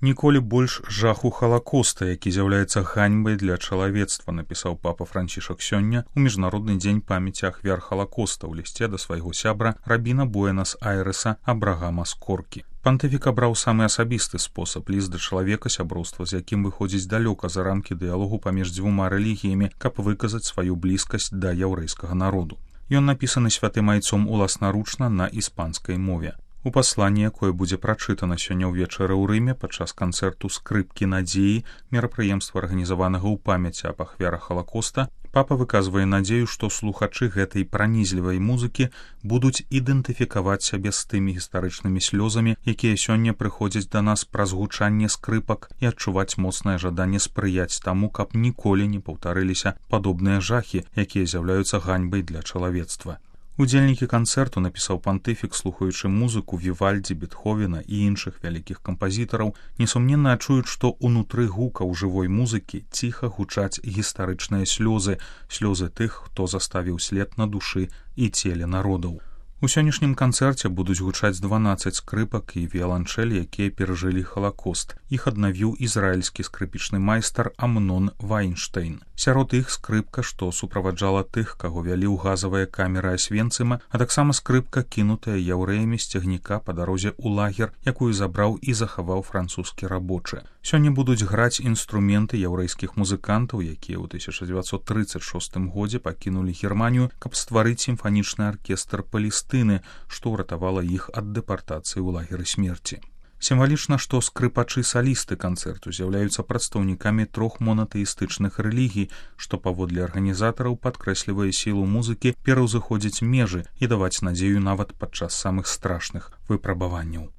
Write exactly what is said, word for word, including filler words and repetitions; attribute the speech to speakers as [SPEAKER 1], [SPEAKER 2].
[SPEAKER 1] Ніколі больш жаху Халакоста, які з'яўляецца ганьбай для чалавецтва, напісаў папа Францішак сёння ў міжнародны дзень памяці ахвяр Халакоста ў лісце да свайго сябра рабіна Буэнас-Айрэса Абрагама Скоркі. Пантыфік абраў самы асабісты спосаб, ліст да чалавека, сяброўства з якім выходзіць далёка за рамкі дыялогу паміж дзвюма рэлігіямі, каб выказаць сваю блізкасць да яўрэйскага народу. Ён напісаны святым айцом уласнаручна на іспанскай мове. У пасланні, якое будзе прачытана сёння ўвечары ў Рыме падчас канцэрту скрыпкі надзеі, мерапрыемства арганізаванага ў памяці аб ахвярах Халакоста, папа выказвае надзею, што слухачы гэтай пранізлівай музыкі будуць ідэнтыфікаваць сябе з тымі гістарычнымі слёзамі, якія сёння прыходзяць да нас праз гучанне скрыпак, і адчуваць моцнае жаданне спрыяць таму, каб ніколі не паўтарыліся падобныя жахі, якія з'яўляюцца ганьбай для чалавецтва. Удзельнікі канцэрту, напісаў пантыфік, слухаючы музыку Вівальдзі, Бетховена і іншых вялікіх кампазітараў, несумненна адчуюць, што ўнутры гукаў жывой музыкі ціха гучаць гістарычныя слёзы, слёзы тых, хто заставіў след на душы і целе народаў. У сённяшнім канцэрце будуць гучаць дванаццаць скрыпак і віяланчэль, якія перажылі Халакост. Іх аднавіў ізраільскі скрыпічны майстар Амнон Вайнштейн. Сярод іх скрыпка, што суправаджала тых, каго вялі ў газавыя камеры Асвенцыма, а таксама скрыпка, кінутая яўрэямі з цягніка па дарозе ў лагер, якую забраў і захаваў французскі рабочы. Сёння будуць граць інструменты яўрэйскіх музыкантаў, якія ў тысяча дзевяцьсот трыццаць шостым годзе пакінулі Германію, каб стварыць сімфанічны аркестр Палестыны, што ўратавала іх ад дэпартацыі ў лагеры смерці. Сімвалічна, што скрыпачы-салісты канцэрту з'яўляюцца прадстаўнікамі трох монатэістычных рэлігій, што паводле арганізатараў падкрэслівае сілу музыкі пераўзыходзіць межы і даваць надзею нават падчас самых страшных выпрабаванняў.